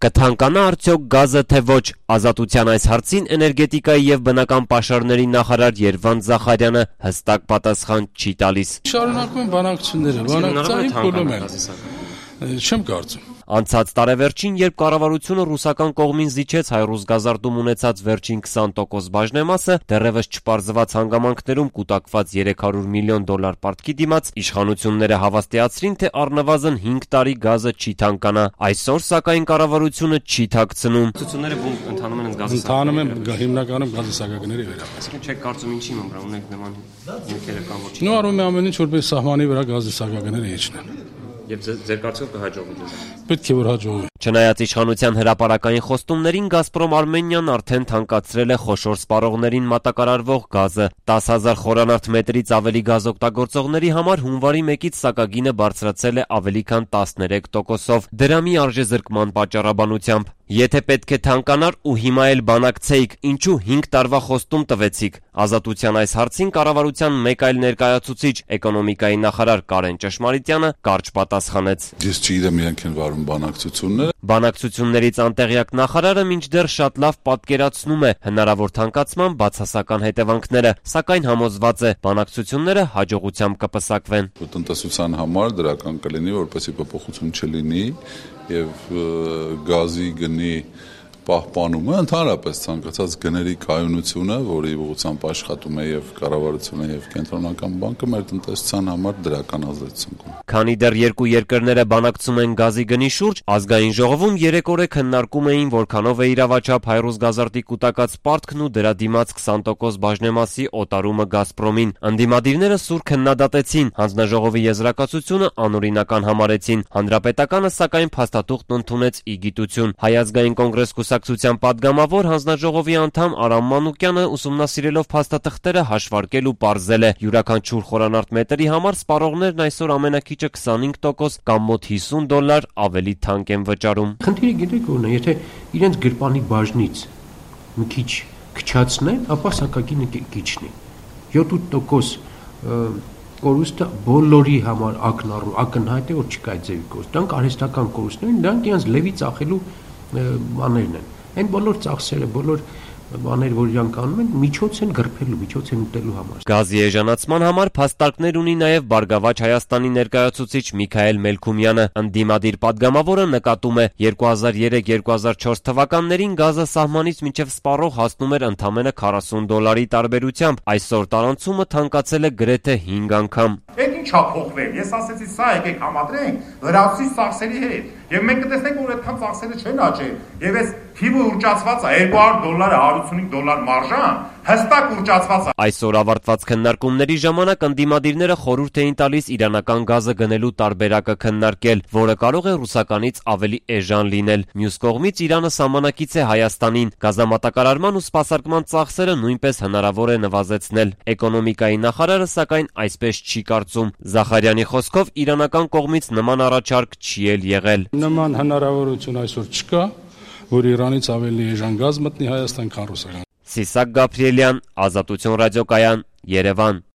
Կթանկանա արդյոք գազը թե ոչ, Ազատության այս հարցին էներգետիկայի եւ բնական պաշարների նախարար Երվանդ Զախարյանը հստակ պատասխան չի տալիս։ Շարունակում են բանակցությունները, բանակցային փուլում են։ Չեմ կարծում։ Անցած տարեվերջին, երբ կառավարությունը ռուսական կողմին զիջեց Հայրուսգազարդում ունեցած վերջին 20% բաժնեմասը, դեռևս չպարզված հանգամանքներում կուտակված $300 միլիոն պարտքի դիմաց, իշխանությունները հավաստիացրին, թե առնվազն 5 տարի գազը չի թանկանա։ Այսօր, սակայն, կառավարությունը չի թաքցնում։ Ցուցությունները ընթանում են գազի Ընթանում են հիմնականում գազի սակագների վրա։ Այսինքն չեք կարծում ինչի մոմրան ունենք նման յութերը կամ ոչ։ Նու արում է ամեն ինչ որպես սահմանի վրա գազի սակագները իջնեն։ Եվ ձեր կարծիքով կհաջողվի դες։ Պետք է որ հաջողվի։ Չնայած իշխանության հրապարակային խոստումներին, Գազպրոմ Արմենիան արդեն թանկացրել է խոշոր սպառողներին մատակարարվող գազը։ 10,000 խորանարդ մետրից ավելի գազ օգտագործողների համար հունվարի 1-ից սակագինը բարձրացել է ավելի քան 13%-ով, դրամի արժեզրկման պատճառաբանությամբ։ Եթե պետք է թանկանար ու հիմա էլ բանակցեիք, ինչու 5 տարվա խոստում տվեցիք։ Ազատության այս հարցին կառավարության մեկ այլ ներկայացուցիչ, էկոնոմիկայի նախարար Կարեն Ճշմարիտյանը կարճ պատասխանեց։ Ես չգիտեմ իրենք են վարում բանակցությունները։ Բանակցություններից անտեղյակ նախարարը մինչդեռ շատ լավ պատկերացնում է հնարավոր թանկացման բացասական հետևանքները, սակայն համոզված է, բանակցությունները հաջողությամբ կպսակվեն։ Տնտեսության համար դրական կլինի, որպեսզի փոփոխություն չլինի եւ գազի գնի պահպանումը, ընդհանրապես ցանկացած գների կայունությունը, որի ուղղությամբ աշխատում է եւ կառավարությունը եւ կենտրոնական բանկը, մեր տնտեսության համար դրական ազդեցություն կունենա։ Քանի դեռ երկու երկրները բանակցում են գազի գնի շուրջ, ազգային ժողովում երեք օր քննարկում էին որքանով է իրավաչափ Հայրուսգազարդի կուտակած պարտքն ու դրա դիմաց 20% բաժնեմասի օտարումը Գազպրոմին։ Ընդդիմադիրները սուր քննադատեցին, հանձնաժողովի եզրակացությունը անօրինական համարեցին։ Հանրապետականը սակայն փաստաթուղթն ընդունեց ի գիտություն։ Հայ ազգային կոնգրես կուսակցության падգամավոր հանձնաժողովի անդամ Արամ Մանուկյանը ուսումնասիրելով փաստաթղթերը հաշվարկել ու պարզել է. յուրաքանչյուր խորանարդ մետրի համար սպառողներն այսօր ամենակիչը 25% կամ մոտ $50 ավելի թանկ են վճարում։ Խնդիրը գիտեք ո՞րն է, եթե իրենց գրպանի բաժնից մի քիչ քչացնեն, ապա սակագինը կիջնի։ 7-8% կորուստը բոլորի համար ակնհայտ է, որ չկա այդ ձևի կորուստ։ Դրանք արհեստական կորուստներ են, դրանք իրենց լևի ծախելու բաներն են։ Այն բոլոր ծախսերը, բոլոր բաներ, որ իրանք անում են, միջոց են գրփելու, միջոց են ուտելու համար։ Գազի էժանացման համար փաստարկներ ունի նաև Բարգավաճ Հայաստանի ներկայացուցիչ Միքայել Մելքումյանը։ Ընդդիմադիր падգամավորը նկատում է, 2003-2004 թվականներին գազը սահմանից մինչև սպառող հասնում էր ընդամենը $40 տարբերությամբ, այսօր տարանցումը թանկացել է գրեթե 5 անգամ։ Այդ ինչա փոխվել։ Ես ասեցի, սա եկեք համադրենք լրացուցիչ ծախսերի հետ։ Եվ մենք կտեսնենք, որ այդքան ծախսերը չեն աճել։ Եվ այս թիվը ուռճացված է, $200, $155 մարժան, հստակ ուռճացված է։ Այսօր ավարտված քննարկումների ժամանակ ընդդիմադիրները խորհուրդ էին տալիս իրանական գազը գնելու տարբերակը քննարկել, որը կարող է ռուսականից ավելի էժան լինել։ Մյուս կողմից Իրանը սահմանակից է Հայաստանին, գազամատակարարման ու սպասարկման ծախսերը նույնպես հնարավոր է նվազեցնել։ Էկոնոմիկայի նախարարը սակայն այսպես չի կարծում։ Զախարյանի խոսքով իրանական կողմից նման առաջարկ չի էլ եղել։ Նման հնարավորություն այսօր չկա, որ Իրանից ավելի էժան գազ մտնի Հայաստան, քան ռուսական։ Սիսակ Գաբրիելյան, Ազատություն ռադիոկայան, Երևան։